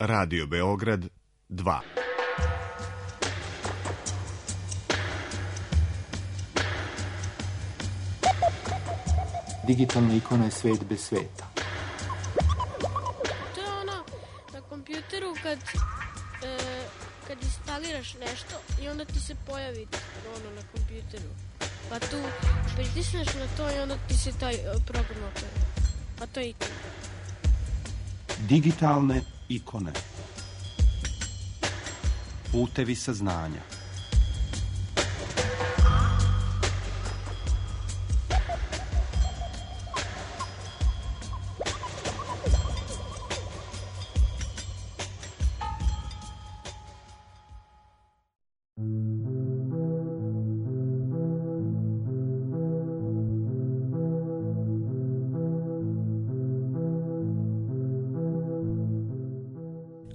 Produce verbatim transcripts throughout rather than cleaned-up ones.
Radio Beograd dva. Digitalna ikona je svet bez sveta. To je ono na kompjuteru kad, e, kad instaliraš nešto i onda ti se pojavi ono na kompjuteru. Pa tu pritisneš na to i onda ti se taj program otvori. Pa to je ikona. Digitalne ikone. Putevi saznanja.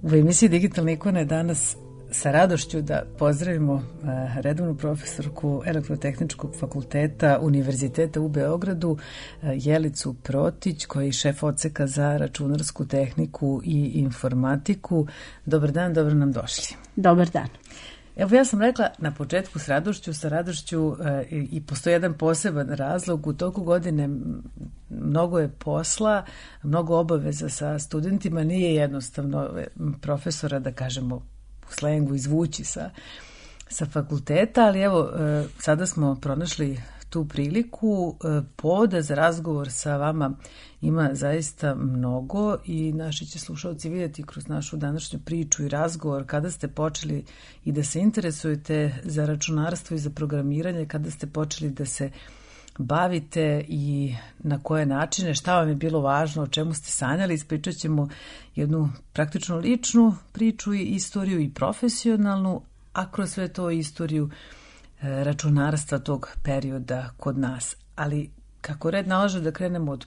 U emisiji Digitalne ikone danas sa radošću da pozdravimo redovnu profesorku Elektrotehničkog fakulteta Univerziteta u Beogradu, Jelicu Protić, koja je šef odseka za računarsku tehniku i informatiku. Dobar dan, dobro nam došli. Dobar dan. Evo, ja sam rekla na početku s radošću, sa radošću e, i postoji jedan poseban razlog. U toku godine mnogo je posla, mnogo obaveza sa studentima, nije jednostavno profesora, da kažemo u slengu, izvući sa, sa fakulteta, ali evo, e, sada smo pronašli tu priliku. E, povoda za razgovor sa vama ima zaista mnogo i naši će slušalci vidjeti kroz našu današnju priču i razgovor kada ste počeli i da se interesujete za računarstvo i za programiranje, kada ste počeli da se bavite i na koje načine, šta vam je bilo važno, o čemu ste sanjali. Ispričat ćemo jednu praktično ličnu priču i istoriju i profesionalnu, a kroz sve to istoriju računarstva tog perioda kod nas. Ali kako red nalaže da krenemo od,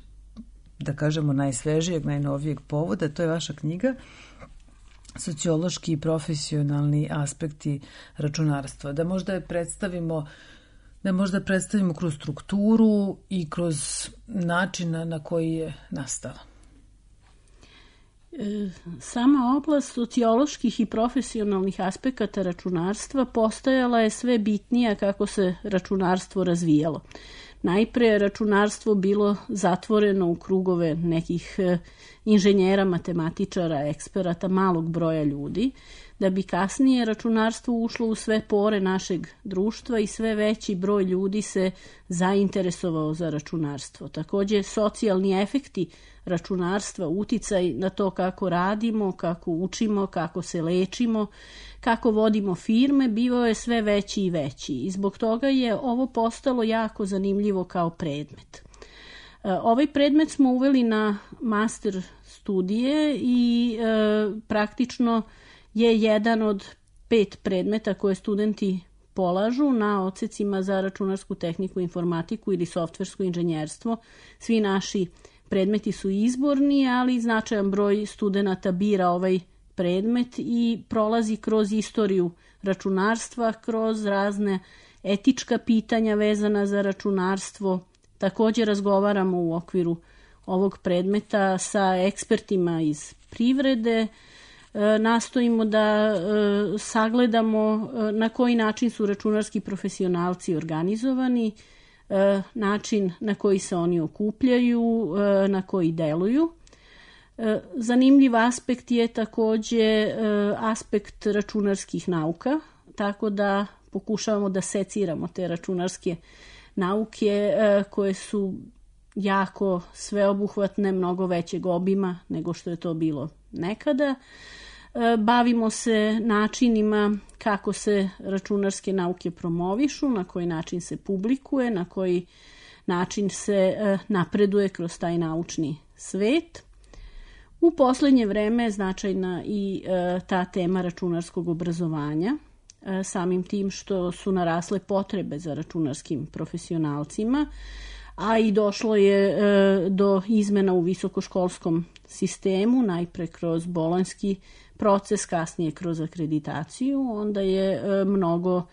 da kažemo, najsvežijeg, najnovijeg povoda, to je vaša knjiga Sociološki i profesionalni aspekti računarstva. Da možda je predstavimo da možda predstavimo kroz strukturu i kroz način na koji je nastala. Sama oblast socioloških i profesionalnih aspekata računarstva postajala je sve bitnija kako se računarstvo razvijalo. Najpre je računarstvo bilo zatvoreno u krugove nekih inženjera, matematičara, eksperata, malog broja ljudi, da bi kasnije računarstvo ušlo u sve pore našeg društva i sve veći broj ljudi se zainteresovao za računarstvo. Također, socijalni efekti računarstva, uticaj na to kako radimo, kako učimo, kako se lečimo, kako vodimo firme, bivao je sve veći i veći i zbog toga je ovo postalo jako zanimljivo kao predmet. Ovaj predmet smo uveli na master studije i e, praktično je jedan od pet predmeta koje studenti polažu na odsecima za računarsku tehniku, informatiku ili softversko inženjerstvo. Svi naši predmeti su izborni, ali značajan broj studenata bira ovaj predmet i prolazi kroz istoriju računarstva, kroz razne etička pitanja vezana za računarstvo. Također razgovaramo u okviru ovog predmeta sa ekspertima iz privrede, nastojimo da sagledamo na koji način su računarski profesionalci organizovani, način na koji se oni okupljaju, na koji deluju. Zanimljiv aspekt je također aspekt računarskih nauka, tako da pokušavamo da seciramo te računarske nauke koje su jako sveobuhvatne, mnogo većeg obima nego što je to bilo nekada. Bavimo se načinima kako se računarske nauke promovišu, na koji način se publikuje, na koji način se napreduje kroz taj naučni svet. U posljednje vreme je značajna i ta tema računarskog obrazovanja, samim tim što su narasle potrebe za računarskim profesionalcima, a i došlo je e, do izmena u visokoškolskom sistemu, najpre kroz bolonjski proces, kasnije kroz akreditaciju. Onda je e, mnogo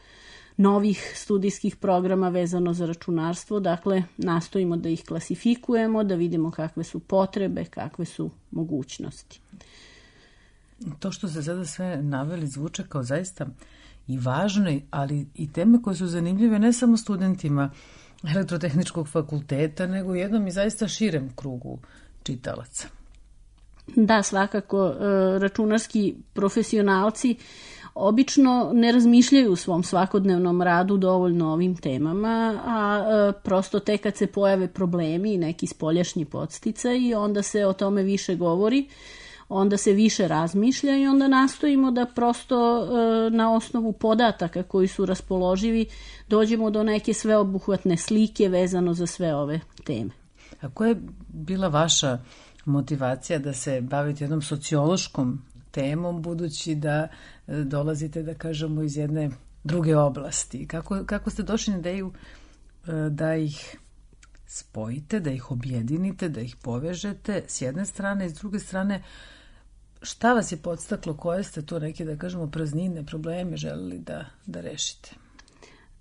novih studijskih programa vezano za računarstvo, dakle nastojimo da ih klasifikujemo, da vidimo kakve su potrebe, kakve su mogućnosti. To što ste sada sve naveli zvuče kao zaista i važne, ali i teme koje su zanimljive ne samo studentima Elektrotehničkog fakulteta, nego jednom i zaista širem krugu čitalaca. Da, svakako, računarski profesionalci obično ne razmišljaju u svom svakodnevnom radu dovoljno o ovim temama, a prosto tek kad se pojave problemi i neki spoljašnji podsticaj, onda se o tome više govori, onda se više razmišlja i onda nastojimo da prosto na osnovu podataka koji su raspoloživi dođemo do neke sveobuhvatne slike vezano za sve ove teme. A koja je bila vaša motivacija da se bavite jednom sociološkom temom, budući da dolazite, da kažemo, iz jedne druge oblasti? Kako, kako ste došli na ideju da ih spojite, da ih objedinite, da ih povežete s jedne strane i s druge strane, šta vas je podstaklo, koje ste to neke, da kažemo, praznine, probleme želeli da, da rešite?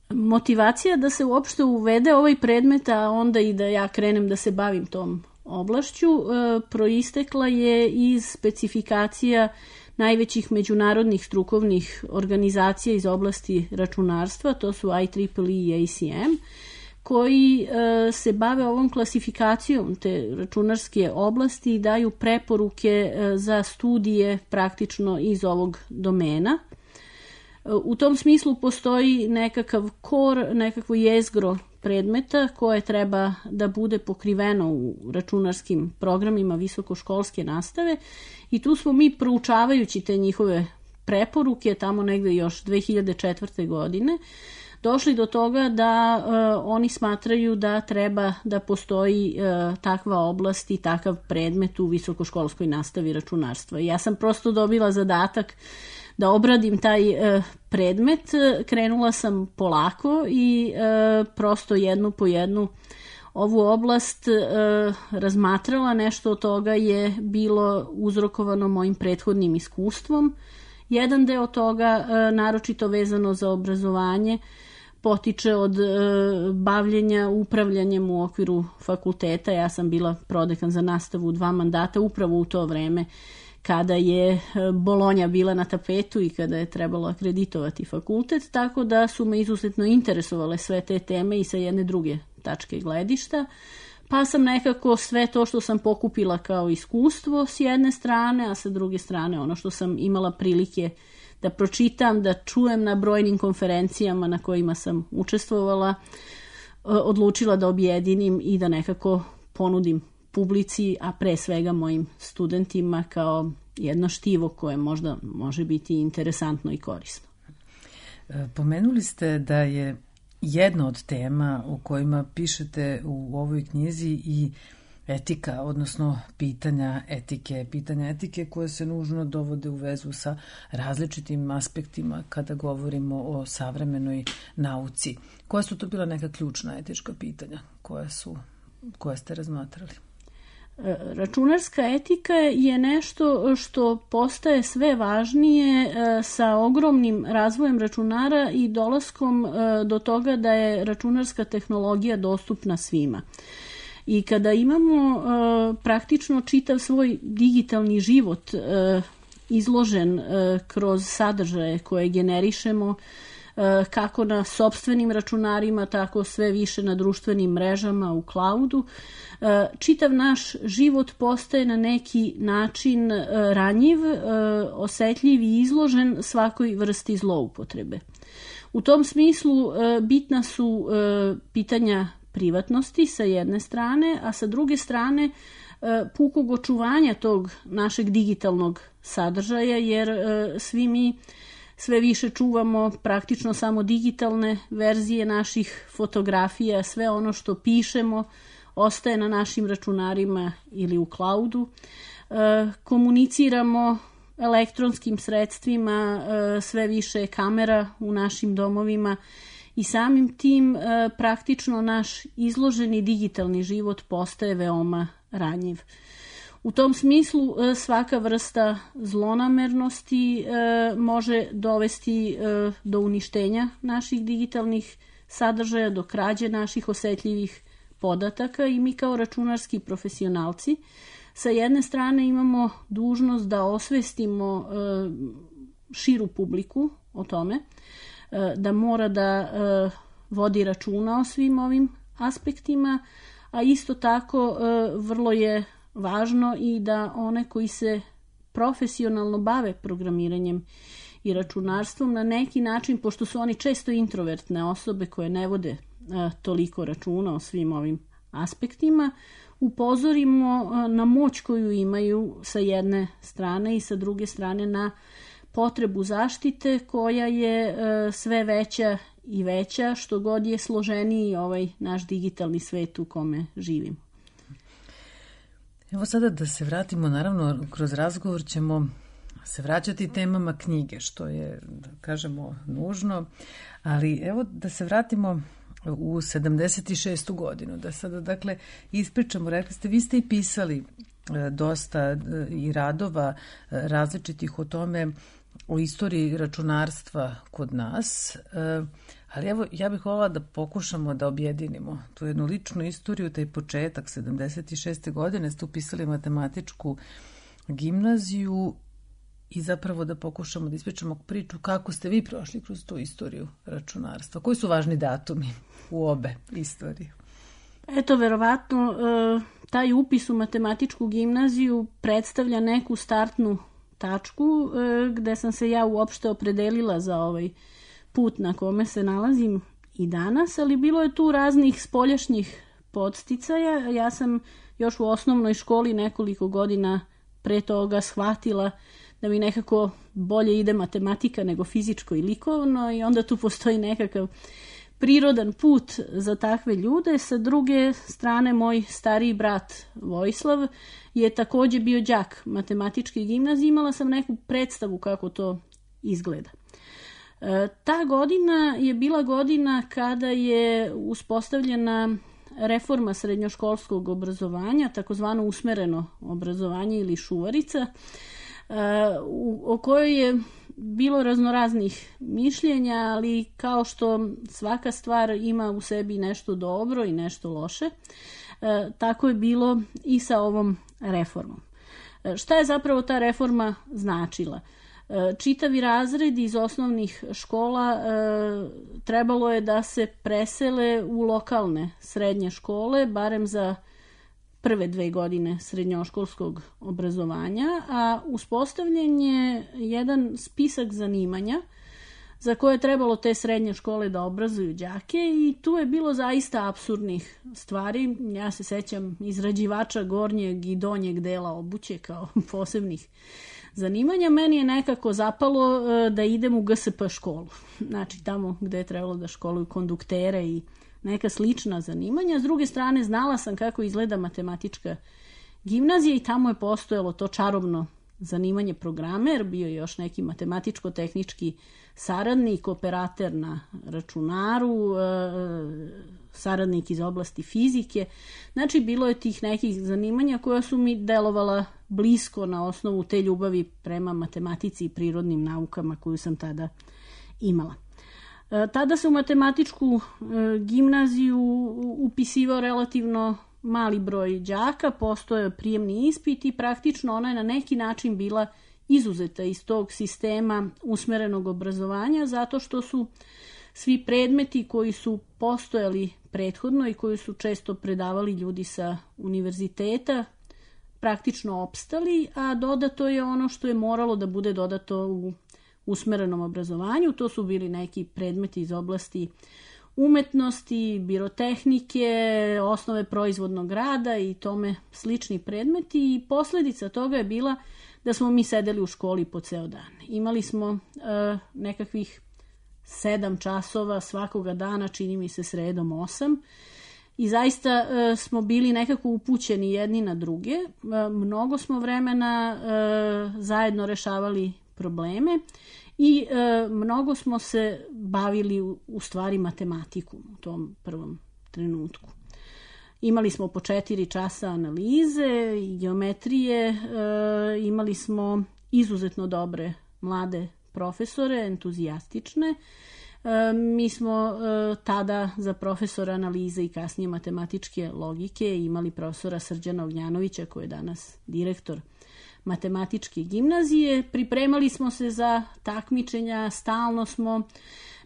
Motivacija da se uopšte uvede ovaj predmet, a onda i da ja krenem da se bavim tom oblašću, proistekla je iz specifikacija najvećih međunarodnih strukovnih organizacija iz oblasti računarstva, to su I triple E i A C M, koji se bave ovom klasifikacijom te računarske oblasti i daju preporuke za studije praktično iz ovog domena. U tom smislu postoji nekakav kor, nekakvo jezgro predmeta koje treba da bude pokriveno u računarskim programima visokoškolske nastave i tu smo mi, proučavajući te njihove preporuke tamo negde još dve hiljade četvrte. godine, došli do toga da uh, oni smatraju da treba da postoji uh, takva oblast i takav predmet u visokoškolskoj nastavi računarstva. Ja sam prosto dobila zadatak da obradim taj uh, predmet, krenula sam polako i uh, prosto jednu po jednu ovu oblast uh, razmatrala. Nešto od toga je bilo uzrokovano mojim prethodnim iskustvom. Jedan deo toga, uh, naročito vezano za obrazovanje, potiče od e, bavljenja upravljanjem u okviru fakulteta. Ja sam bila prodekan za nastavu dva mandata upravo u to vreme kada je Bolonja bila na tapetu i kada je trebalo akreditovati fakultet, tako da su me izuzetno interesovale sve te teme i sa jedne druge tačke gledišta. Pa sam nekako sve to što sam pokupila kao iskustvo s jedne strane, a sa druge strane ono što sam imala prilike da pročitam, da čujem na brojnim konferencijama na kojima sam učestvovala, odlučila da objedinim i da nekako ponudim publici, a pre svega mojim studentima kao jedno štivo koje možda može biti interesantno i korisno. Pomenuli ste da je jedna od tema o kojima pišete u ovoj knjizi i etika, odnosno pitanja etike, pitanja etike koje se nužno dovode u vezu sa različitim aspektima kada govorimo o savremenoj nauci. Koja su to bila neka ključna etička pitanja koje su, koje ste razmatrali? Računarska etika je nešto što postaje sve važnije sa ogromnim razvojem računara i dolaskom do toga da je računarska tehnologija dostupna svima. I kada imamo uh, praktično čitav svoj digitalni život uh, izložen uh, kroz sadržaje koje generišemo uh, kako na sopstvenim računarima, tako sve više na društvenim mrežama u cloudu, uh, čitav naš život postaje na neki način uh, ranjiv, uh, osetljiv i izložen svakoj vrsti zloupotrebe. U tom smislu uh, bitna su uh, pitanja privatnosti sa jedne strane, a sa druge strane pukog očuvanja tog našeg digitalnog sadržaja, jer svi mi sve više čuvamo praktično samo digitalne verzije naših fotografija, sve ono što pišemo ostaje na našim računarima ili u cloudu. Komuniciramo elektronskim sredstvima, sve više kamera u našim domovima, i samim tim e, praktično naš izloženi digitalni život postaje veoma ranjiv. U tom smislu e, svaka vrsta zlonamernosti e, može dovesti e, do uništenja naših digitalnih sadržaja, do krađe naših osetljivih podataka i mi kao računarski profesionalci Sa jedne strane imamo dužnost da osvestimo širu publiku o tome, da mora da vodi računa o svim ovim aspektima, a isto tako vrlo je važno i da one koji se profesionalno bave programiranjem i računarstvom na neki način, pošto su oni često introvertne osobe koje ne vode toliko računa o svim ovim aspektima, upozorimo na moć koju imaju sa jedne strane i sa druge strane na potrebu zaštite koja je sve veća i veća što god je složeniji ovaj naš digitalni svet u kome živimo. Evo sada da se vratimo, naravno kroz razgovor ćemo se vraćati temama knjige, što je, da kažemo, nužno, ali evo da se vratimo u sedamdeset šestu godinu, da sada dakle ispričamo, rekli ste, vi ste i pisali dosta i radova različitih o tome, o istoriji računarstva kod nas, ali evo ja bih voljela da pokušamo da objedinimo tu jednu ličnu istoriju, taj početak sedamdeset šeste godine ste upisali matematičku gimnaziju i zapravo da pokušamo da ispričamo priču kako ste vi prošli kroz tu istoriju računarstva. Koji su važni datumi u obe istorije? Eto, verovatno taj upis u matematičku gimnaziju predstavlja neku startnu tačku gde sam se ja uopšte opredelila za ovaj put na kome se nalazim i danas, ali bilo je tu raznih spoljašnjih podsticaja. Ja sam još u osnovnoj školi nekoliko godina pre toga shvatila da mi nekako bolje ide matematika nego fizičko i likovno i onda tu postoji nekakav prirodan put za takve ljude. Sa druge strane, moj stariji brat Vojislav je takođe bio đak matematičke gimnazije. Imala sam neku predstavu kako to izgleda. E, ta godina je bila godina kada je uspostavljena reforma srednjoškolskog obrazovanja, takozvano usmereno obrazovanje ili šuvarica, e, u, o kojoj je bilo raznoraznih mišljenja, ali kao što svaka stvar ima u sebi nešto dobro i nešto loše, e, tako je bilo i sa ovom reformom. E, šta je zapravo ta reforma značila? E, čitavi razredi iz osnovnih škola e, trebalo je da se presele u lokalne srednje škole, barem za prve dve godine srednjoškolskog obrazovanja, a uspostavljen je jedan spisak zanimanja za koje je trebalo te srednje škole da obrazuju đake i tu je bilo zaista apsurdnih stvari. Ja se sećam izrađivača gornjeg i donjeg dela obuće kao posebnih zanimanja. Meni je nekako zapalo da idem u G S P školu, znači tamo gde je trebalo da školuju konduktere i neka slična zanimanja. S druge strane, znala sam kako izgleda matematička gimnazija i tamo je postojalo to čarobno zanimanje programer, bio je još neki matematičko-tehnički saradnik, operater na računaru, saradnik iz oblasti fizike. Znači, bilo je tih nekih zanimanja koja su mi delovala blisko na osnovu te ljubavi prema matematici i prirodnim naukama koju sam tada imala. Tada se u matematičku gimnaziju upisivao relativno mali broj đaka, postojao prijemni ispit i praktično ona je na neki način bila izuzeta iz tog sistema usmerenog obrazovanja zato što su svi predmeti koji su postojali prethodno i koji su često predavali ljudi sa univerziteta praktično opstali, a dodato je ono što je moralo da bude dodato u usmerenom obrazovanju. To su bili neki predmeti iz oblasti umetnosti, birotehnike, osnove proizvodnog rada i tome slični predmeti i posljedica toga je bila da smo mi sedeli u školi po ceo dan. Imali smo uh, nekakvih sedam časova svakoga dana, čini mi se sredom osam i zaista uh, smo bili nekako upućeni jedni na druge. Uh, mnogo smo vremena uh, zajedno rešavali probleme i e, mnogo smo se bavili u, u stvari matematikom u tom prvom trenutku. Imali smo po četiri časa analize i geometrije, e, imali smo izuzetno dobre mlade profesore, entuzijastične. Mi smo tada za profesora analize i kasnije matematičke logike imali profesora Srđana Ognjanovića, koji je danas direktor matematičke gimnazije. Pripremali smo se za takmičenja, stalno smo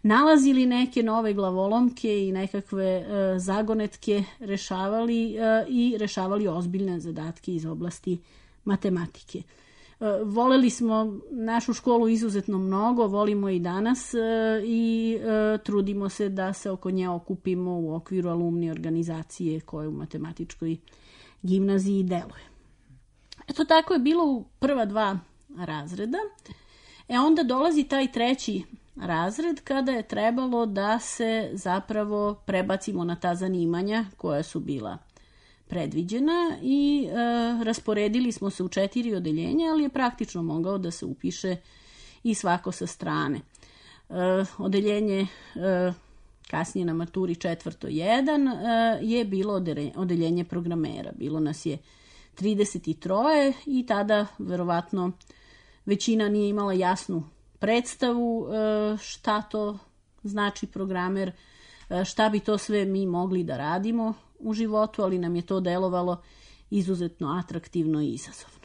nalazili neke nove glavolomke i nekakve zagonetke rešavali i rešavali ozbiljne zadatke iz oblasti matematike. Voleli smo našu školu izuzetno mnogo, volimo i danas i trudimo se da se oko nje okupimo u okviru alumni organizacije koja u matematičkoj gimnaziji deluje. Eto, tako je bilo u prva dva razreda. E onda dolazi taj treći razred kada je trebalo da se zapravo prebacimo na ta zanimanja koja su bila predviđena i e, rasporedili smo se u četiri odeljenja, ali je praktično mogao da se upiše i svako sa strane. E, odeljenje e, kasnije na maturi četvrto jedan e, je bilo odeljenje, odeljenje programera. Bilo nas je trideset tri i tada verovatno većina nije imala jasnu predstavu e, šta to znači programer, e, šta bi to sve mi mogli da radimo u životu, ali nam je to delovalo izuzetno atraktivno i izazovno.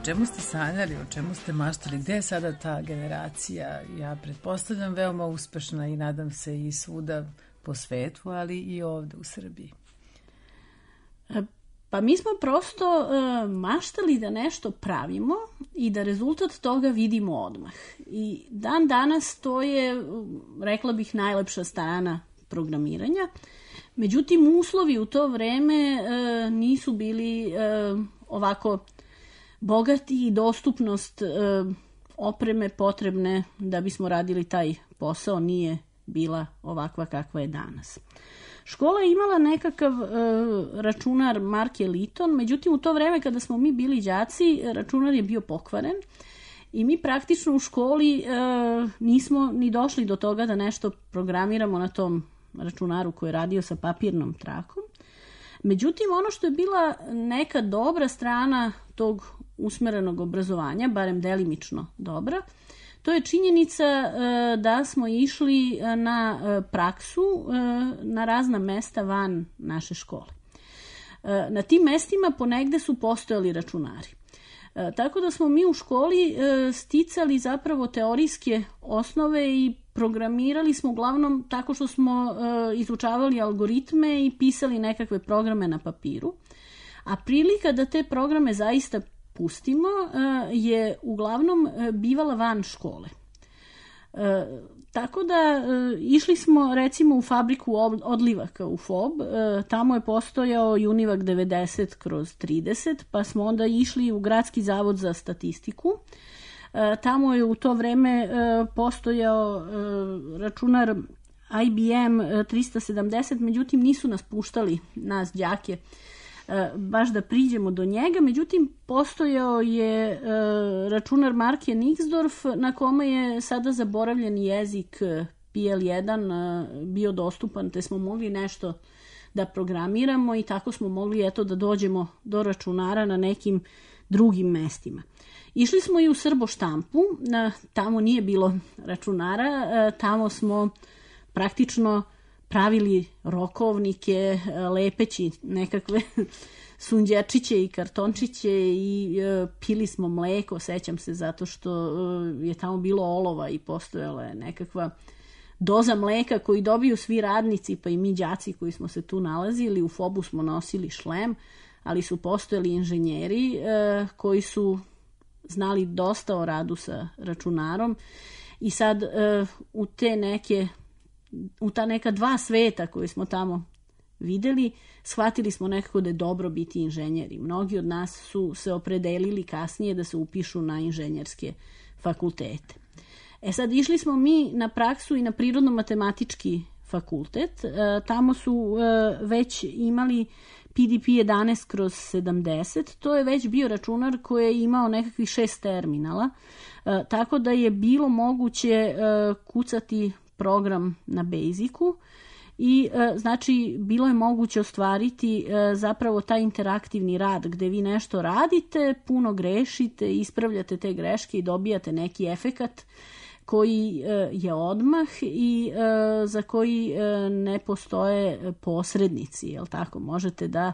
O čemu ste sanjali, o čemu ste maštali, gde je sada ta generacija? Ja pretpostavljam veoma uspešna i nadam se i svuda po svetu, ali i ovde u Srbiji. Pa mi smo prosto uh, maštali da nešto pravimo i da rezultat toga vidimo odmah. I dan danas to je, rekla bih, najlepša strana programiranja. Međutim, uslovi u to vreme uh, nisu bili uh, ovako bogati i dostupnost e, opreme potrebne da bismo radili taj posao nije bila ovakva kakva je danas. Škola je imala nekakav e, računar marke Liton, međutim u to vreme kada smo mi bili đaci, računar je bio pokvaren i mi praktično u školi e, nismo ni došli do toga da nešto programiramo na tom računaru koji je radio sa papirnom trakom. Međutim, ono što je bila neka dobra strana tog usmerenog obrazovanja, barem delimično dobra, to je činjenica da smo išli na praksu na razna mesta van naše škole. Na tim mestima ponegde su postojali računari. Tako da smo mi u školi sticali zapravo teorijske osnove i programirali smo uglavnom tako što smo izučavali algoritme i pisali nekakve programe na papiru. A prilika da te programe zaista pustimo je uglavnom bivala van škole. Tako da išli smo recimo u fabriku odlivaka u F O B, tamo je postojao Univac devedeset kroz trideset, pa smo onda išli u Gradski zavod za statistiku. Tamo je u to vreme postojao računar I B M trista sedamdeset, međutim nisu nas puštali, nas đake, baš da priđemo do njega, međutim postojao je računar marke Nixdorf na kome je sada zaboravljeni jezik P L jedan bio dostupan, te smo mogli nešto da programiramo i tako smo mogli eto da dođemo do računara na nekim drugim mestima. Išli smo i u Srbo štampu, tamo nije bilo računara, tamo smo praktično pravili rokovnike, lepeći nekakve sunđerčiće i kartončiće i e, pili smo mleko, sećam se, zato što e, je tamo bilo olova i postojala je nekakva doza mleka koju dobiju svi radnici, pa i mi đaci koji smo se tu nalazili. U F O B-u smo nosili šlem, ali su postojali inženjeri e, koji su znali dosta o radu sa računarom i sad e, u te neke u ta neka dva sveta koje smo tamo videli, shvatili smo nekako da je dobro biti inženjeri. Mnogi od nas su se opredelili kasnije da se upišu na inženjerske fakultete. E sad, išli smo mi na praksu i na prirodno-matematički fakultet. E, tamo su e, već imali P D P jedanaest kroz sedamdeset. To je već bio računar koji je imao nekakvih šest terminala, e, tako da je bilo moguće e, kucati program na Basicu i e, znači bilo je moguće ostvariti e, zapravo taj interaktivni rad gde vi nešto radite, puno grešite, ispravljate te greške i dobijate neki efekat koji e, je odmah i e, za koji e, ne postoje posrednici, jel tako? Možete da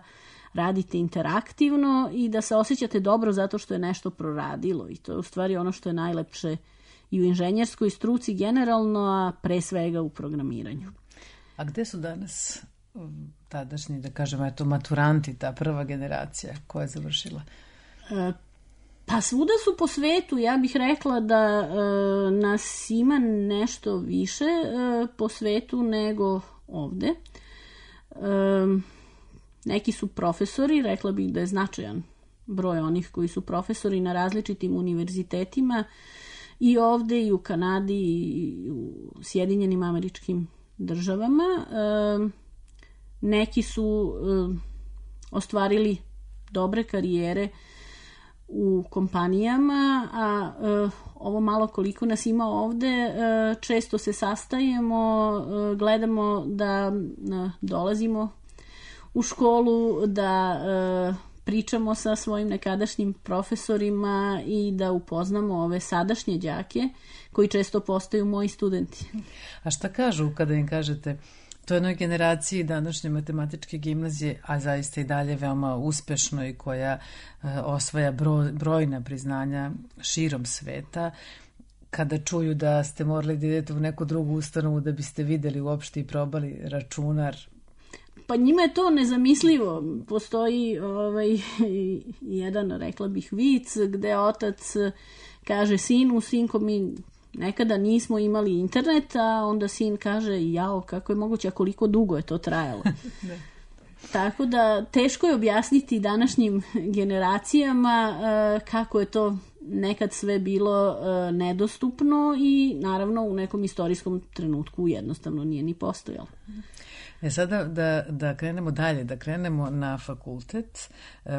radite interaktivno i da se osjećate dobro zato što je nešto proradilo i to je u stvari ono što je najlepše i u inženjerskoj struci generalno, a pre svega u programiranju. A gde su danas tadašnji, da kažemo, eto, maturanti, ta prva generacija koja je završila? E, pa svuda su po svetu. Ja bih rekla da e, nas ima nešto više e, po svetu nego ovde. E, neki su profesori, rekla bih da je značajan broj onih koji su profesori na različitim univerzitetima, i ovde, i u Kanadi, i u Sjedinjenim Američkim Državama. E, neki su e, ostvarili dobre karijere u kompanijama, a e, ovo malo koliko nas ima ovde, e, često se sastajemo, e, gledamo da e, dolazimo u školu, da e, pričamo sa svojim nekadašnjim profesorima i da upoznamo ove sadašnje đake koji često postaju moji studenti. A šta kažu kada im kažete toj jednoj generaciji današnje matematičke gimnazije, a zaista i dalje veoma uspešno i koja e, osvaja broj, brojna priznanja širom sveta, kada čuju da ste morali da idete u neku drugu ustanovu da biste videli uopšte i probali računar? Pa njima je to nezamislivo. Postoji ovaj, jedan, rekla bih, vic gde otac kaže sinu, sinko, mi nekada nismo imali internet, a onda sin kaže, jao, kako je moguće, a koliko dugo je to trajalo. Tako da teško je objasniti današnjim generacijama uh, kako je to nekad sve bilo uh, nedostupno i naravno u nekom istorijskom trenutku jednostavno nije ni postojalo. E sada da, da krenemo dalje, da krenemo na fakultet.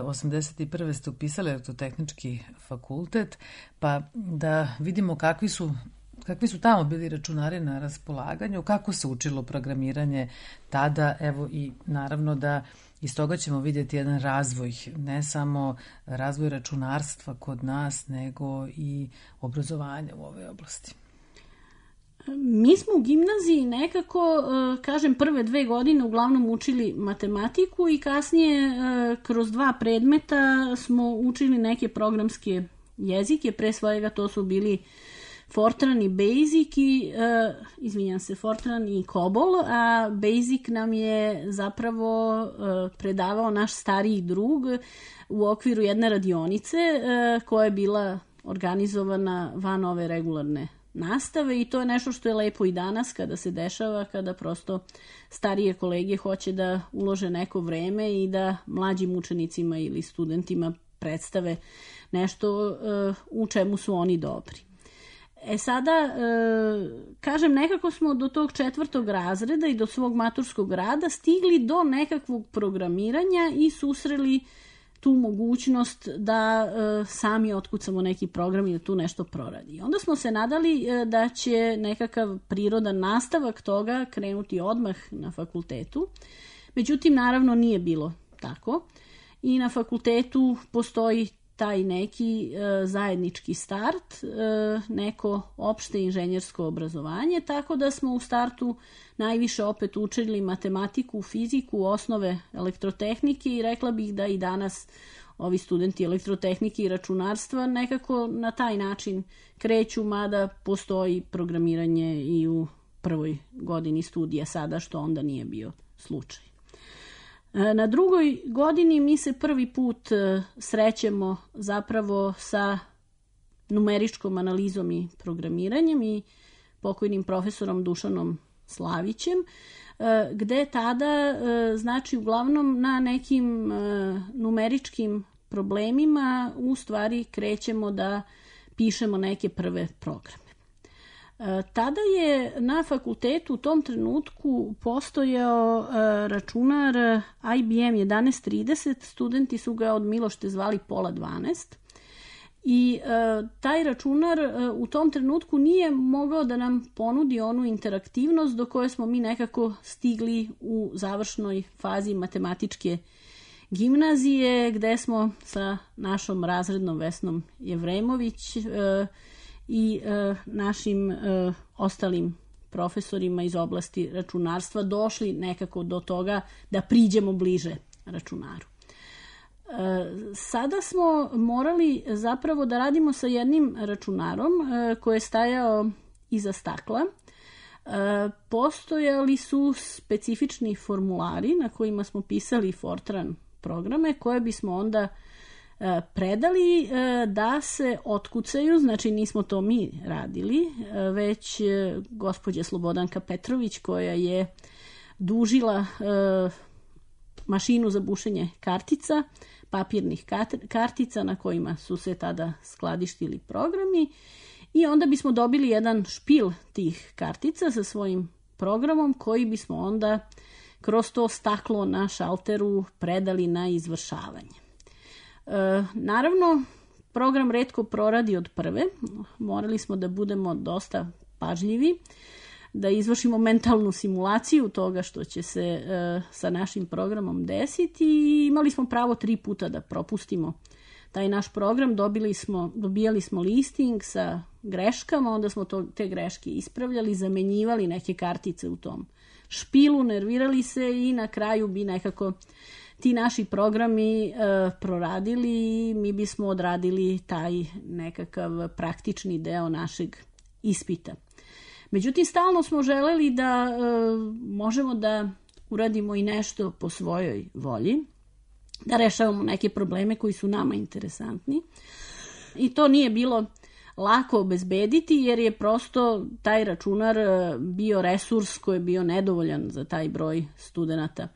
osamdeset prve ste upisali elektrotehnički fakultet, pa da vidimo kakvi su, kakvi su tamo bili računari na raspolaganju, kako se učilo programiranje tada, evo i naravno da iz toga ćemo vidjeti jedan razvoj, ne samo razvoj računarstva kod nas, nego i obrazovanja u ovoj oblasti. Mi smo u gimnaziji nekako, kažem, prve dve godine uglavnom učili matematiku i kasnije kroz dva predmeta smo učili neke programske jezike, pre svega to su bili Fortran i Basic i, uh, izvinjam se, Fortran i Cobol, a Basic nam je zapravo uh, predavao naš stariji drug u okviru jedne radionice uh, koja je bila organizovana van ove regularne nastave i to je nešto što je lepo i danas kada se dešava, kada prosto starije kolege hoće da ulože neko vreme i da mlađim učenicima ili studentima predstave nešto uh, u čemu su oni dobri. E sada, e, kažem, nekako smo do tog četvrtog razreda i do svog maturskog rada stigli do nekakvog programiranja i susreli tu mogućnost da e, sami otkucamo neki program i da tu nešto proradi. Onda smo se nadali e, da će nekakav prirodan nastavak toga krenuti odmah na fakultetu. Međutim, naravno nije bilo tako. I na fakultetu postoji taj neki e, zajednički start, e, neko opšte inženjersko obrazovanje, tako da smo u startu najviše opet učili matematiku, fiziku, osnove elektrotehnike i rekla bih da i danas ovi studenti elektrotehnike i računarstva nekako na taj način kreću, mada postoji programiranje i u prvoj godini studija sada, što onda nije bio slučaj. Na drugoj godini mi se prvi put srećemo zapravo sa numeričkom analizom i programiranjem i pokojnim profesorom Dušanom Slavićem, gde tada, znači uglavnom na nekim numeričkim problemima u stvari krećemo da pišemo neke prve programe. Tada je na fakultetu u tom trenutku postojao računar I B M jedanaest trideset, studenti su ga od milošte zvali Pola dvanaest i taj računar u tom trenutku nije mogao da nam ponudi onu interaktivnost do koje smo mi nekako stigli u završnoj fazi matematičke gimnazije, gde smo sa našom razrednom Vesnom Jevremović i e, našim e, ostalim profesorima iz oblasti računarstva došli nekako do toga da priđemo bliže računaru. E, sada smo morali zapravo da radimo sa jednim računarom e, koji je stajao iza stakla. E, postojali su specifični formulari na kojima smo pisali Fortran programe koje bismo onda predali da se otkucaju, znači nismo to mi radili, već gospođa Slobodanka Petrović koja je dužila mašinu za bušenje kartica, papirnih kartica na kojima su se tada skladištili programi i onda bismo dobili jedan špil tih kartica sa svojim programom koji bismo onda kroz to staklo na šalteru predali na izvršavanje. E, naravno, program retko proradi od prve. Morali smo da budemo dosta pažljivi, da izvršimo mentalnu simulaciju toga što će se e, sa našim programom desiti i imali smo pravo tri puta da propustimo taj naš program. Dobili smo, dobijali smo listing sa greškama, onda smo to, te greške ispravljali, zamenjivali neke kartice u tom špilu, nervirali se i na kraju bi nekako ti naši programi e, proradili i mi bismo odradili taj nekakav praktični deo našeg ispita. Međutim, stalno smo želeli da e, možemo da uradimo i nešto po svojoj volji, da rešavamo neke probleme koji su nama interesantni. I to nije bilo lako obezbediti jer je prosto taj računar bio resurs koji je bio nedovoljan za taj broj studenata.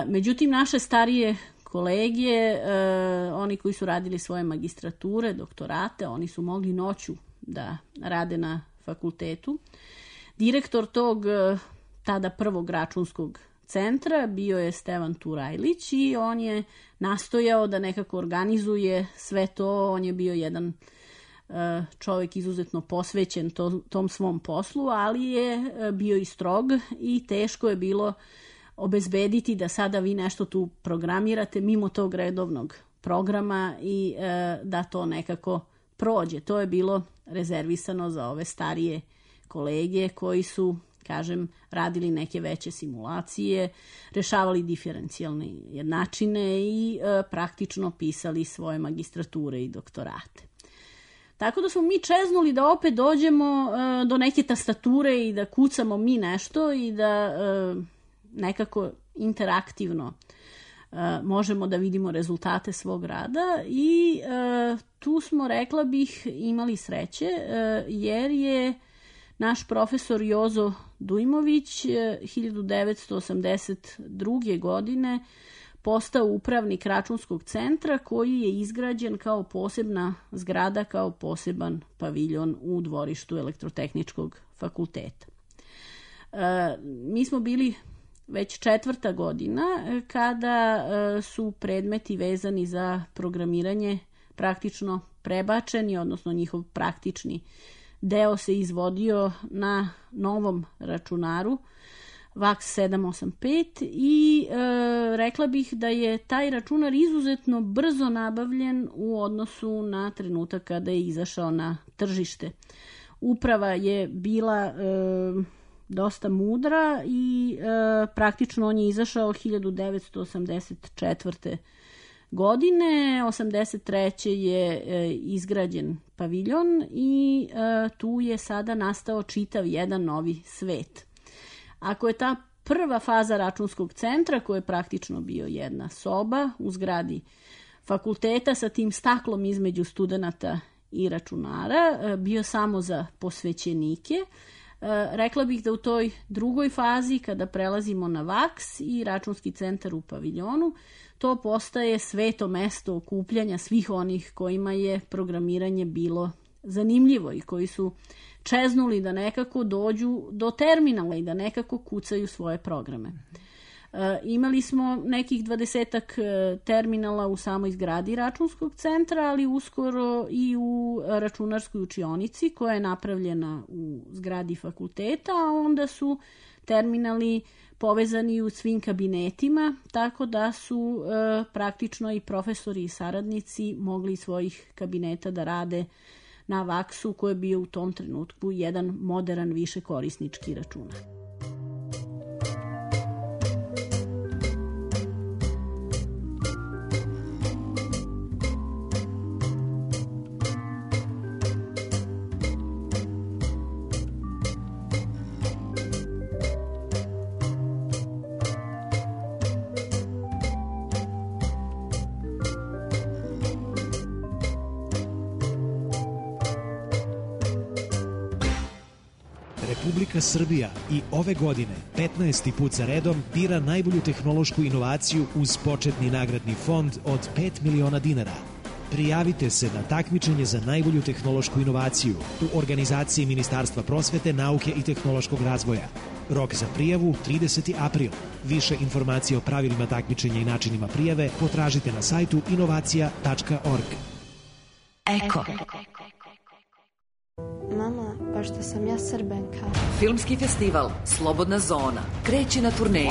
Međutim, naše starije kolege, oni koji su radili svoje magistrature, doktorate, oni su mogli noću da rade na fakultetu. Direktor tog tada prvog računskog centra bio je Stevan Turajlić i on je nastojao da nekako organizuje sve to. On je bio jedan čovjek izuzetno posvećen to, tom svom poslu, ali je bio i strog i teško je bilo obezbediti da sada vi nešto tu programirate mimo tog redovnog programa i e, da to nekako prođe. To je bilo rezervisano za ove starije kolege koji su, kažem, radili neke veće simulacije, rešavali diferencijalne jednačine i e, praktično pisali svoje magistrature i doktorate. Tako da smo mi čeznuli da opet dođemo e, do neke tastature i da kucamo mi nešto i da e, nekako interaktivno e, možemo da vidimo rezultate svog rada i e, tu smo, rekla bih, imali sreće e, jer je naš profesor Jozo Dujmović hiljadu devetsto osamdeset druge. godine postao upravnik računskog centra koji je izgrađen kao posebna zgrada, kao poseban paviljon u dvorištu Elektrotehničkog fakulteta. E, mi smo bili već četvrta godina kada e, su predmeti vezani za programiranje praktično prebačeni, odnosno njihov praktični deo se izvodio na novom računaru VAX sedam osam pet i e, rekla bih da je taj računar izuzetno brzo nabavljen u odnosu na trenutak kada je izašao na tržište. Uprava je bila e, dosta mudra i e, praktično on je izašao hiljadu devetsto osamdeset četvrte. godine. osamdeset treće. je e, izgrađen paviljon i e, tu je sada nastao čitav jedan novi svet. Ako je ta prva faza računskog centra, koja je praktično bio jedna soba u zgradi fakulteta sa tim staklom između studenata i računara, e, bio samo za posvećenike, e, rekla bih da u toj drugoj fazi, kada prelazimo na VAX i računski centar u paviljonu, to postaje sveto mesto okupljanja svih onih kojima je programiranje bilo zanimljivo i koji su čeznuli da nekako dođu do terminala i da nekako kucaju svoje programe. E, imali smo nekih dvadesetak terminala u samoj zgradi računskog centra, ali uskoro i u računarskoj učionici koja je napravljena u zgradi fakulteta, a onda su terminali povezani u svim kabinetima, tako da su e, praktično i profesori i saradnici mogli iz svojih kabineta da rade na VAX-u koji je bio u tom trenutku jedan modern višekorisnički računar. Republika Srbija i ove godine petnaesti put za redom bira najbolju tehnološku inovaciju uz početni nagradni fond od pet miliona dinara. Prijavite se na takmičenje za najbolju tehnološku inovaciju u organizaciji Ministarstva prosvete, nauke i tehnološkog razvoja. Rok za prijavu trideseti april. Više informacije o pravilima takmičenja i načinima prijave potražite na sajtu inovacija tačka org. Eko. Mama, pošto sam ja Srbenka. Filmski festival Slobodna zona kreće na turneju.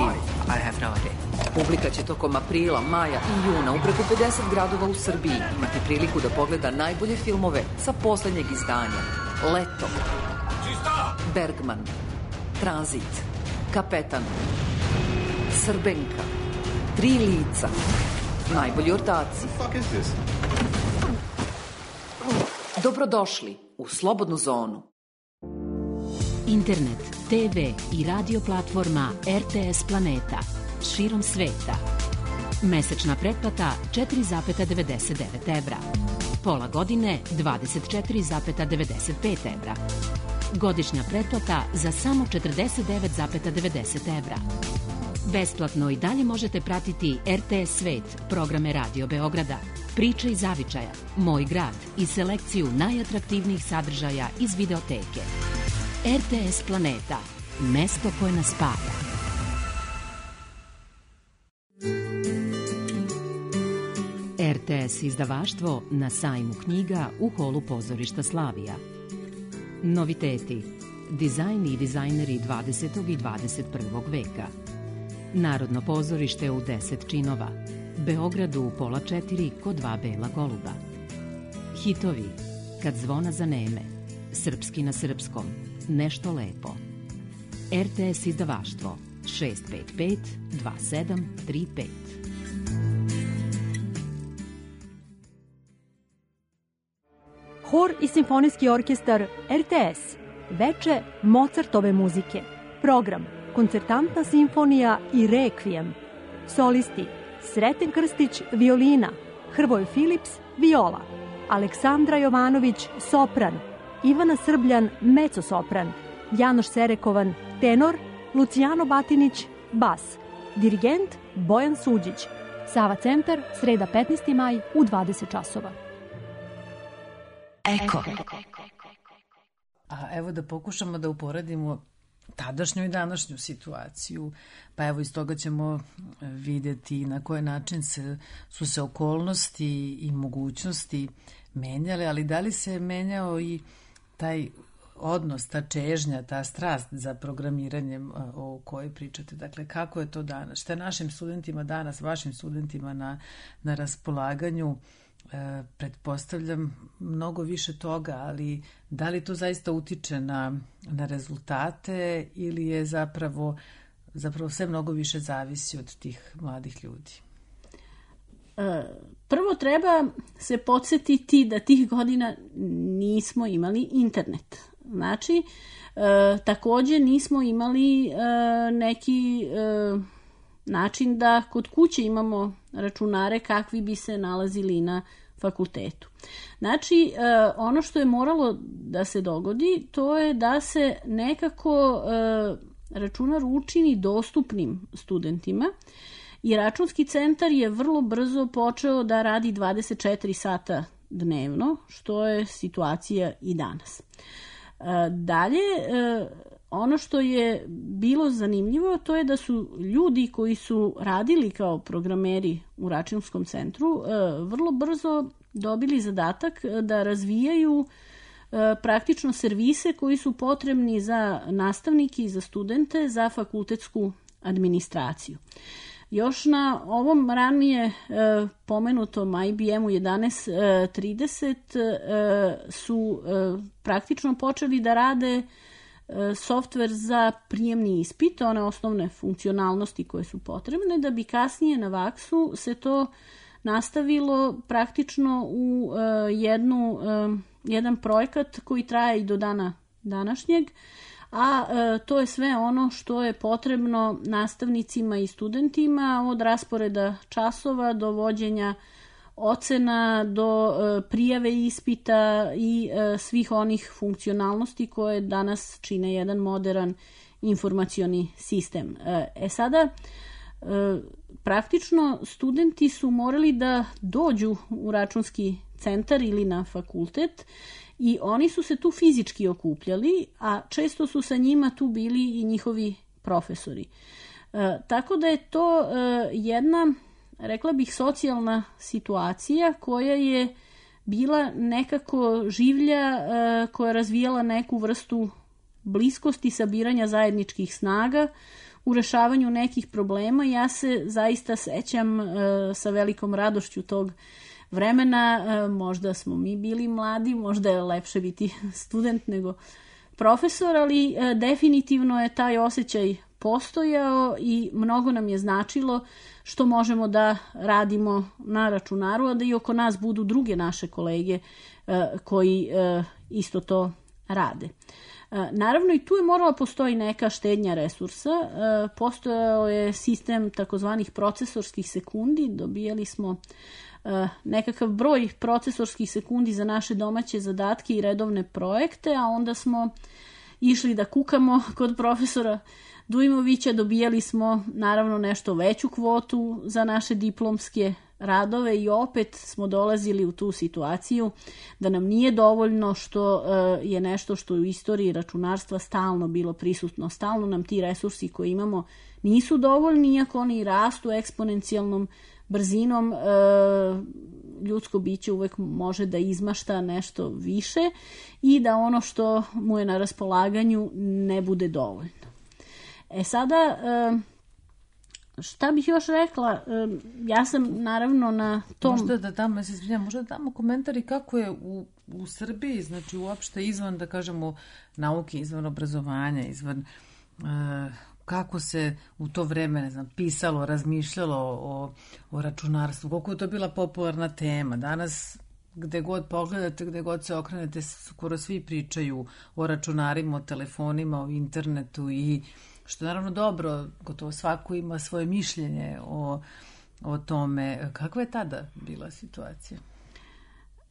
I have no idea. Publika će tokom aprila, maja i juna u preko pedeset gradova u Srbiji imati priliku da pogleda najbolje filmove sa poslednjeg izdanja. Leto, Bergman, Tranzit, Kapetan, Srbenka, Tri lica, najbolji ortaci. Dobrodošli u Slobodnu zonu. Internet, te ve i radio platforma er te es Planeta širom sveta. Mesečna pretplata četiri zarez devedeset devet evra. Pola godine dvadeset četiri zarez devedeset pet evra. Godišnja pretplata za samo četrdeset devet zarez devedeset evra. Besplatno i dalje možete pratiti er te es Svet, programe Radio Beograda, Priče iz zavičaja, Moj grad i selekciju najatraktivnijih sadržaja iz videoteke. er te es Planeta, mesto koje nas spaja. er te es izdavaštvo na sajmu knjiga u holu pozorišta Slavija. Noviteti, dizajn i dizajneri dvadesetog i dvadeset prvog veka. Narodno pozorište u deset činova. Beogradu u pola četiri kod dva bela goluba. Hitovi, Kad zvona zaneme, Srpski na srpskom, Nešto lepo. R T S izdavaštvo šest pet pet dva sedam tri pet. Hor i simfonijski orkestar R T S. Veče Mozartove muzike. Program Koncertantna simfonija i Rekvijem. Solisti Sreten Krstić, violina, Hrvoje Filips, viola, Aleksandra Jovanović, sopran, Ivana Srbljan, mecosopran, Janoš Serekovan, tenor, Lucijano Batinić, bas, dirigent Bojan Suđić. Sava centar, sreda petnaesti maj u dvadeset časova. Eko. A evo da pokušamo da uporedimo tadašnju i današnju situaciju, pa evo iz toga ćemo vidjeti na koji način se, su se okolnosti i mogućnosti menjale, ali da li se menjao i taj odnos, ta čežnja, ta strast za programiranjem o kojoj pričate. Dakle, kako je to danas? Šta je našim studentima danas, vašim studentima na, na raspolaganju? E, pretpostavljam mnogo više toga, ali da li to zaista utiče na, na rezultate ili je zapravo, zapravo sve mnogo više zavisi od tih mladih ljudi? E, prvo treba se podsjetiti da tih godina nismo imali internet. Znači, e, takođe nismo imali e, neki e, način da kod kuće imamo računare kakvi bi se nalazili na fakultetu. Znači, e, ono što je moralo da se dogodi, to je da se nekako e, računar učini dostupnim studentima i računski centar je vrlo brzo počeo da radi dvadeset četiri sata dnevno, što je situacija i danas. Dalje, ono što je bilo zanimljivo, to je da su ljudi koji su radili kao programeri u računskom centru vrlo brzo dobili zadatak da razvijaju praktično servise koji su potrebni za nastavnike i za studente za fakultetsku administraciju. Još na ovom ranije e, pomenutom I B M-u jedanaest trideset e, su e, praktično počeli da rade e, softver za prijemni ispit, one osnovne funkcionalnosti koje su potrebne, da bi kasnije na vaksu se to nastavilo praktično u e, jednu, e, jedan projekat koji traje i do dana današnjeg, a e, to je sve ono što je potrebno nastavnicima i studentima od rasporeda časova do vođenja ocena, do e, prijave ispita i e, svih onih funkcionalnosti koje danas čine jedan modern informacioni sistem. E, e sada, e, praktično studenti su morali da dođu u računski centar ili na fakultet i oni su se tu fizički okupljali, a često su sa njima tu bili i njihovi profesori. E, tako da je to e, jedna, rekla bih, socijalna situacija koja je bila nekako življa, e, koja je razvijala neku vrstu bliskosti, sabiranja zajedničkih snaga u rešavanju nekih problema. Ja se zaista sećam e, sa velikom radošću tog vremena, možda smo mi bili mladi, možda je lepše biti student nego profesor, ali definitivno je taj osjećaj postojao i mnogo nam je značilo što možemo da radimo na računaru, a da i oko nas budu druge naše kolege koji isto to rade. Naravno i tu je morala postoji neka štednja resursa, postojao je sistem takozvanih procesorskih sekundi, dobijali smo nekakav broj procesorskih sekundi za naše domaće zadatke i redovne projekte, a onda smo išli da kukamo kod profesora Dujmovića, dobijali smo naravno nešto veću kvotu za naše diplomske radove i opet smo dolazili u tu situaciju da nam nije dovoljno, što je nešto što u istoriji računarstva stalno bilo prisutno. Stalno nam ti resursi koje imamo nisu dovoljni, iako oni rastu eksponencijalnom brzinom, ljudsko biće uvek može da izmašta nešto više i da ono što mu je na raspolaganju ne bude dovoljno. E sada, šta bih još rekla, ja sam naravno na tom... Možda da damo, ja se izvinjam, možda da damo komentari kako je u, u Srbiji, znači uopšte izvan, da kažemo, nauke, izvan obrazovanja, izvan... Uh, kako se u to vreme, ne znam, pisalo, razmišljalo o, o računarstvu, koliko je to bila popularna tema. Danas, gde god pogledate, gde god se okrenete, skoro svi pričaju o računarima, o telefonima, o internetu i što je naravno dobro, gotovo svako ima svoje mišljenje o, o tome. Kakva je tada bila situacija?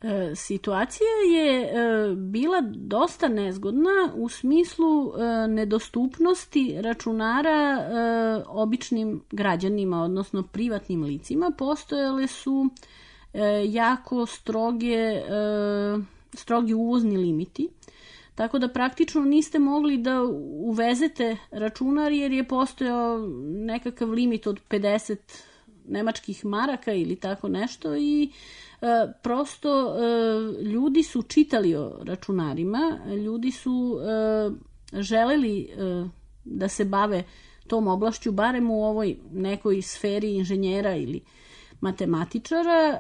E, situacija je e, bila dosta nezgodna u smislu e, nedostupnosti računara e, običnim građanima, odnosno privatnim licima. Postojale su e, jako stroge, e, strogi uvozni limiti, tako da praktično niste mogli da uvezete računar jer je postojao nekakav limit od pedeset nemačkih maraka ili tako nešto i E, prosto e, ljudi su čitali o računarima, ljudi su e, želeli e, da se bave tom oblašću, barem u ovoj nekoj sferi inženjera ili matematičara. E,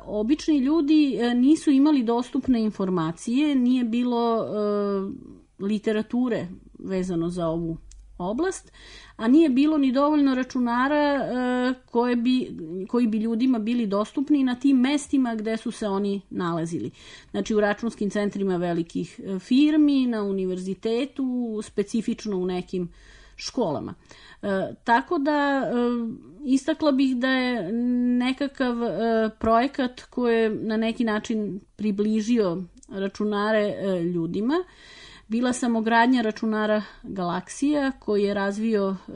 obični ljudi e, nisu imali dostupne informacije, nije bilo e, literature vezano za ovu oblast, a nije bilo ni dovoljno računara e, koje bi, koji bi ljudima bili dostupni na tim mestima gde su se oni nalazili. Znači u računskim centrima velikih firmi, na univerzitetu, specifično u nekim školama. E, tako da e, istakla bih da je nekakav e, projekat koji je na neki način približio računare e, ljudima. Bila samogradnja računara Galaksija koji je razvio e,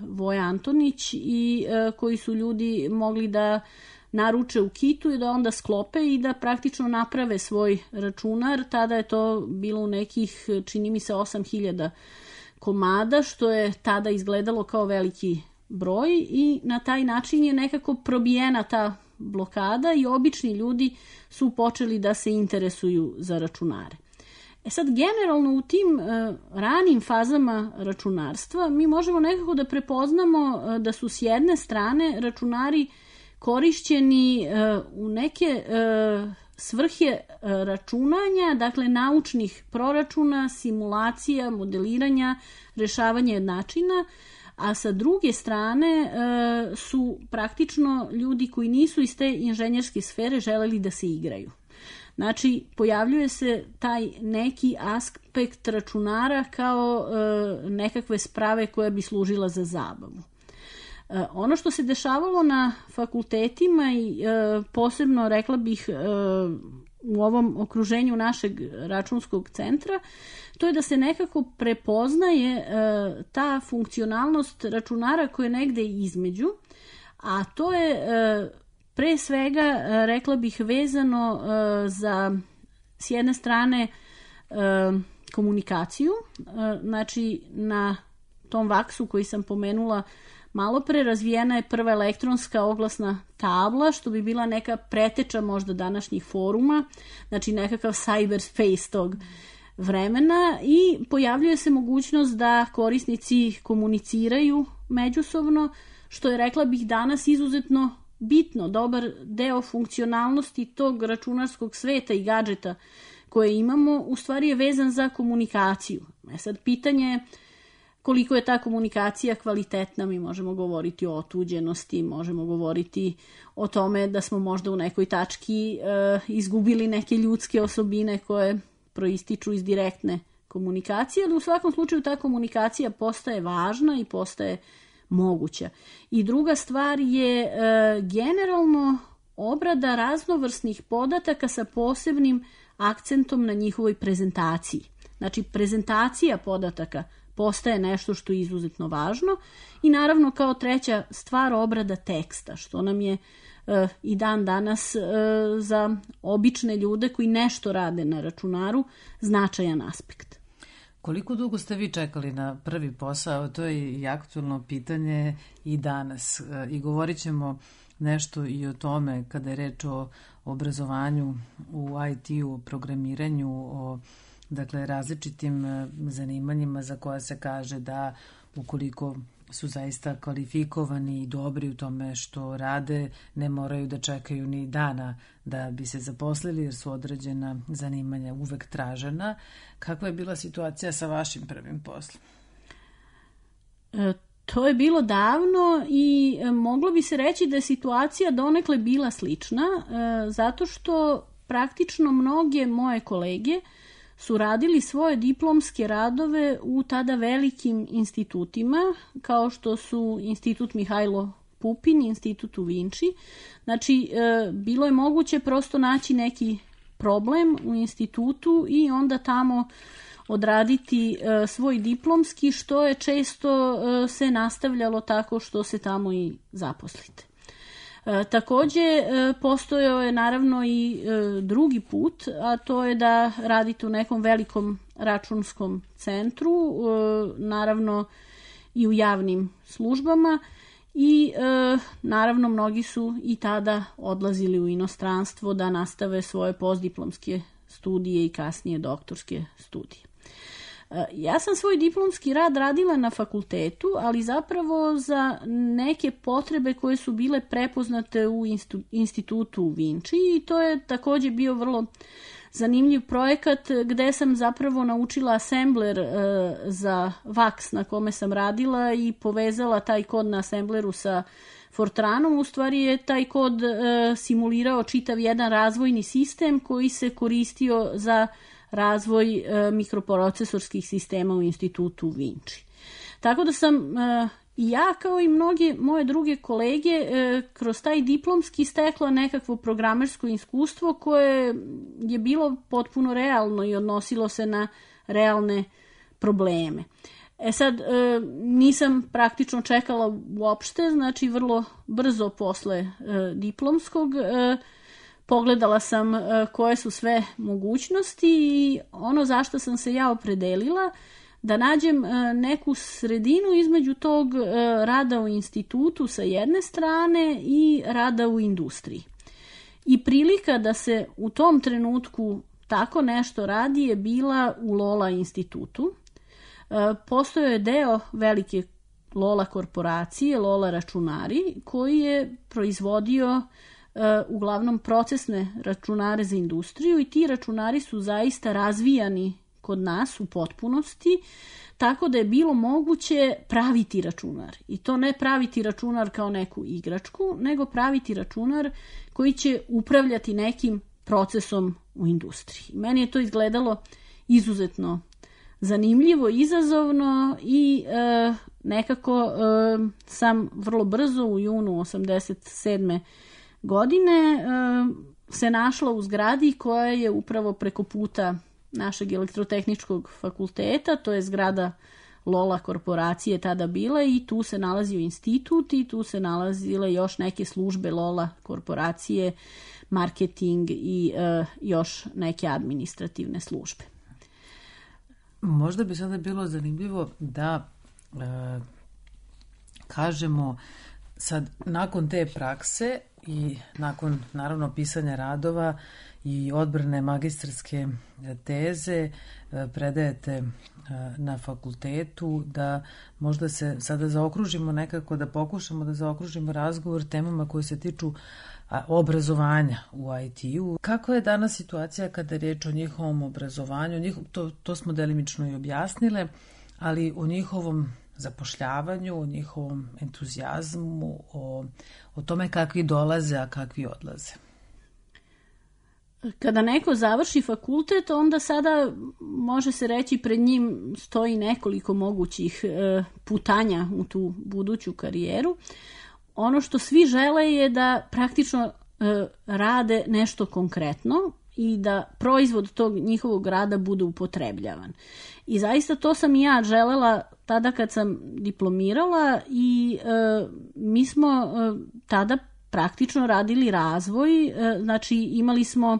Voja Antonić i e, koji su ljudi mogli da naruče u kitu i da onda sklope i da praktično naprave svoj računar. Tada je to bilo u nekih, čini mi se, osam hiljada komada, što je tada izgledalo kao veliki broj i na taj način je nekako probijena ta blokada i obični ljudi su počeli da se interesuju za računare. E sad, generalno u tim uh, ranim fazama računarstva mi možemo nekako da prepoznamo uh, da su s jedne strane računari korišćeni uh, u neke uh, svrhe uh, računanja, dakle naučnih proračuna, simulacija, modeliranja, rešavanja jednačina, a sa druge strane uh, su praktično ljudi koji nisu iz te inženjerske sfere želeli da se igraju. Znači, pojavljuje se taj neki aspekt računara kao e, nekakve sprave koja bi služila za zabavu. E, ono što se dešavalo na fakultetima i e, posebno, rekla bih, e, u ovom okruženju našeg računskog centra, to je da se nekako prepoznaje e, ta funkcionalnost računara koja je negde između, a to je... E, Pre svega, rekla bih, vezano za, s jedne strane, komunikaciju. Znači, na tom vaksu koji sam pomenula malo pre, razvijena je prva elektronska oglasna tabla, što bi bila neka preteča možda današnjih foruma, znači nekakav cyberspace tog vremena i pojavljuje se mogućnost da korisnici komuniciraju međusobno, što je, rekla bih, danas izuzetno bitno. Dobar deo funkcionalnosti tog računarskog sveta i gadžeta koje imamo u stvari je vezan za komunikaciju. E sad, pitanje je koliko je ta komunikacija kvalitetna. Mi možemo govoriti o otuđenosti, možemo govoriti o tome da smo možda u nekoj tački e, izgubili neke ljudske osobine koje proističu iz direktne komunikacije, ali u svakom slučaju ta komunikacija postaje važna i postaje moguća. I druga stvar je e, generalno obrada raznovrsnih podataka sa posebnim akcentom na njihovoj prezentaciji. Znači, prezentacija podataka postaje nešto što je izuzetno važno i naravno kao treća stvar obrada teksta, što nam je e, i dan danas e, za obične ljude koji nešto rade na računaru značajan aspekt. Koliko dugo ste vi čekali na prvi posao? To je i aktualno pitanje i danas. I govorit ćemo nešto i o tome kada je reč o obrazovanju u I T-u, o programiranju, o dakle, različitim zanimanjima za koja se kaže da ukoliko su zaista kvalifikovani i dobri u tome što rade, ne moraju da čekaju ni dana da bi se zaposlili jer su određena zanimanja uvek tražena. Kakva je bila situacija sa vašim prvim poslom? E, to je bilo davno i e, moglo bi se reći da je situacija donekle bila slična, e, zato što praktično mnoge moje kolege su radili svoje diplomske radove u tada velikim institutima, kao što su Institut Mihajlo Pupin, Institut u Vinči. Znači, e, bilo je moguće prosto naći neki problem u institutu i onda tamo odraditi e, svoj diplomski, što je često e, se nastavljalo tako što se tamo i zaposlite. E, takođe, e, postojao je naravno i e, drugi put, a to je da radite u nekom velikom računskom centru, e, naravno i u javnim službama i e, naravno mnogi su i tada odlazili u inostranstvo da nastave svoje postdiplomske studije i kasnije doktorske studije. Ja sam svoj diplomski rad radila na fakultetu, ali zapravo za neke potrebe koje su bile prepoznate u institutu u Vinči i to je takođe bio vrlo zanimljiv projekat gde sam zapravo naučila asembler e, za vaks na kome sam radila i povezala taj kod na asembleru sa Fortranom. U stvari je taj kod e, simulirao čitav jedan razvojni sistem koji se koristio za razvoj e, mikroprocesorskih sistema u institutu u Vinči. Tako da sam e, i ja kao i mnoge moje druge kolege e, kroz taj diplomski stekla nekakvo programersko iskustvo koje je bilo potpuno realno i odnosilo se na realne probleme. E sad, e, nisam praktično čekala uopšte, znači vrlo brzo posle e, diplomskog e, pogledala sam koje su sve mogućnosti i ono zašto sam se ja opredelila da nađem neku sredinu između tog rada u institutu sa jedne strane i rada u industriji. I prilika da se u tom trenutku tako nešto radi je bila u Lola institutu. Postojao je deo velike Lola korporacije, Lola računari, koji je proizvodio uglavnom procesne računare za industriju i ti računari su zaista razvijani kod nas u potpunosti, tako da je bilo moguće praviti računar. I to ne praviti računar kao neku igračku, nego praviti računar koji će upravljati nekim procesom u industriji. Meni je to izgledalo izuzetno zanimljivo, izazovno i e, nekako e, sam vrlo brzo u junu osamdeset sedme godine e, se našla u zgradi koja je upravo preko puta našeg elektrotehničkog fakulteta, to je zgrada Lola korporacije tada bila i tu se nalazio institut i tu se nalazile još neke službe Lola korporacije, marketing i e, još neke administrativne službe. Možda bi sada bilo zanimljivo da e, kažemo sad nakon te prakse i nakon naravno pisanja radova i odbrane magistarske teze predajete na fakultetu, da možda se sada zaokružimo nekako, da pokušamo da zaokružimo razgovor temama koje se tiču obrazovanja u I T-u. Kako je danas situacija kada je riječ o njihovom obrazovanju? Njihov, to, to smo delimično i objasnile, ali o njihovom zapošljavanju, o njihovom entuzijazmu, o, o tome kakvi dolaze, a kakvi odlaze. Kada neko završi fakultet, onda sada može se reći pred njim stoji nekoliko mogućih e, putanja u tu buduću karijeru. Ono što svi žele je da praktično e, rade nešto konkretno i da proizvod tog njihovog rada bude upotrebljavan. I zaista to sam i ja želela tada kad sam diplomirala i e, mi smo e, tada praktično radili razvoj, e, znači imali smo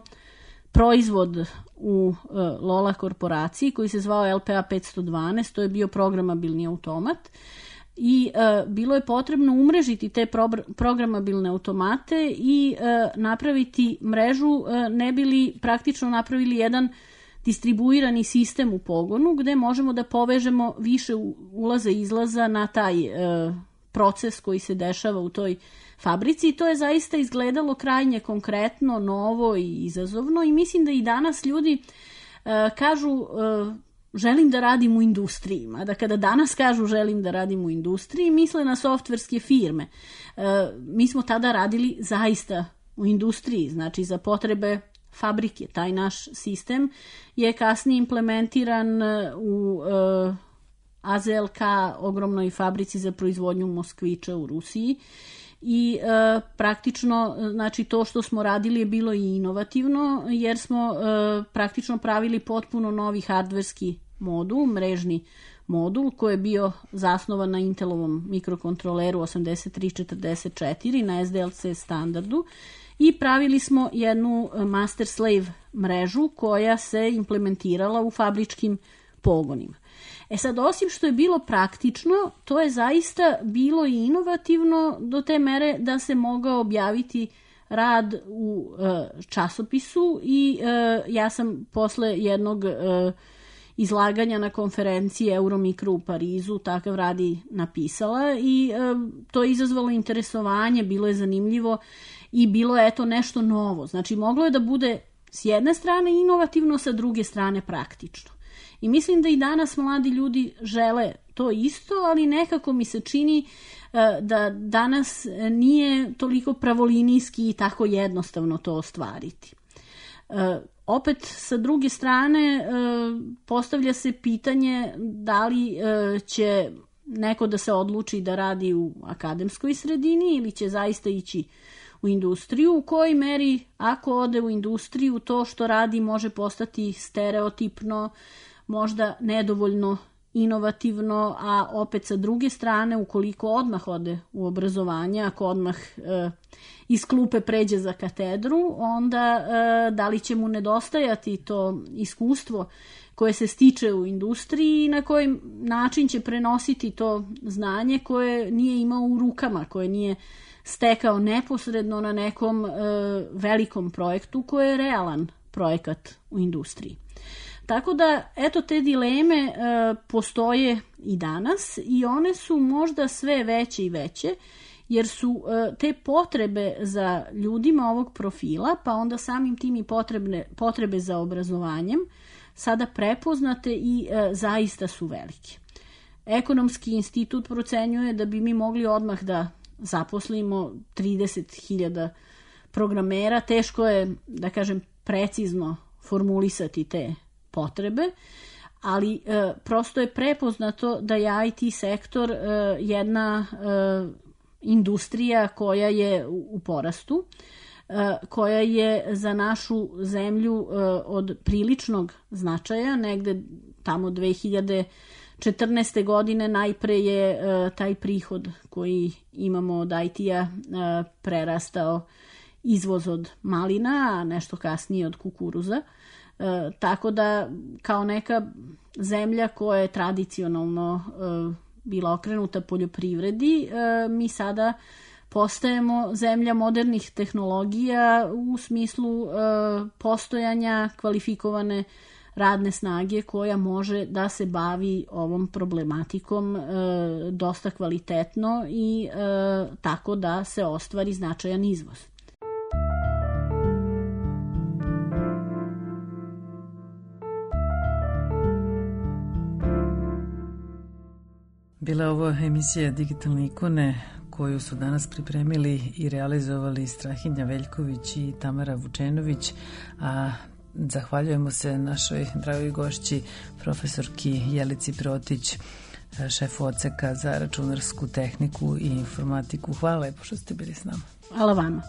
proizvod u e, Lola korporaciji koji se zvao L P A petsto dvanaest, to je bio programabilni automat i e, bilo je potrebno umrežiti te pro, programabilne automate i e, napraviti mrežu, e, ne bili praktično napravili jedan distribuirani sistem u pogonu gde možemo da povežemo više ulaza i izlaza na taj e, proces koji se dešava u toj fabrici i to je zaista izgledalo krajnje konkretno, novo i izazovno i mislim da i danas ljudi e, kažu e, želim da radim u industriji, mada kada danas kažu želim da radim u industriji, misle na softverske firme. E, mi smo tada radili zaista u industriji, znači za potrebe fabrike. Taj naš sistem je kasnije implementiran u e, A Z L K, ogromnoj fabrici za proizvodnju moskviča u Rusiji i e, praktično znači to što smo radili je bilo i inovativno jer smo e, praktično pravili potpuno novi hardverski modul, mrežni modul koji je bio zasnovan na Intelovom mikrokontroleru osamdeset tri četrdeset četiri na S D L C standardu i pravili smo jednu master-slave mrežu koja se implementirala u fabričkim pogonima. E sad, osim što je bilo praktično, to je zaista bilo i inovativno do te mere da se mogao objaviti rad u e, časopisu i e, ja sam posle jednog e, izlaganja na konferenciji Euromikro u Parizu takav rad i napisala i e, to je izazvalo interesovanje, bilo je zanimljivo i bilo je eto nešto novo. Znači, moglo je da bude s jedne strane inovativno, sa druge strane praktično. I mislim da i danas mladi ljudi žele to isto, ali nekako mi se čini da danas nije toliko pravolinijski i tako jednostavno to ostvariti. Opet, sa druge strane, postavlja se pitanje da li će neko da se odluči da radi u akademskoj sredini ili će zaista ići u industriju, u kojoj meri ako ode u industriju to što radi može postati stereotipno, možda nedovoljno inovativno, a opet sa druge strane ukoliko odmah ode u obrazovanje, ako odmah e, iz klupe pređe za katedru, onda e, da li će mu nedostajati to iskustvo koje se stiče u industriji i na koji način će prenositi to znanje koje nije imao u rukama, koje nije stekao neposredno na nekom e, velikom projektu koji je realan projekat u industriji. Tako da, eto, te dileme e, postoje i danas i one su možda sve veće i veće, jer su e, te potrebe za ljudima ovog profila, pa onda samim tim i potrebne, potrebe za obrazovanjem, sada prepoznate i e, zaista su velike. Ekonomski institut procenjuje da bi mi mogli odmah da zaposlimo trideset hiljada programera. Teško je, da kažem, precizno formulisati te potrebe, ali e, prosto je prepoznato da je I T sektor e, jedna e, industrija koja je u, u porastu, e, koja je za našu zemlju e, od priličnog značaja, negde tamo dve hiljade četrnaeste. godine najpre je e, taj prihod koji imamo od I T-a e, prerastao izvoz od malina, a nešto kasnije od kukuruza. E, tako da kao neka zemlja koja je tradicionalno e, bila okrenuta poljoprivredi, e, mi sada postajemo zemlja modernih tehnologija u smislu e, postojanja kvalifikovane radne snage koja može da se bavi ovom problematikom e, dosta kvalitetno i e, tako da se ostvari značajan izvoz. Bila je ovo emisija Digitalne ikone koju su danas pripremili i realizovali Strahinja Veljković i Tamara Vučenović, a zahvaljujemo se našoj dragoj gošći profesorki Jelici Protić, šefu odseka za računarsku tehniku i informatiku. Hvala lepo što ste bili s nama. Hvala vama.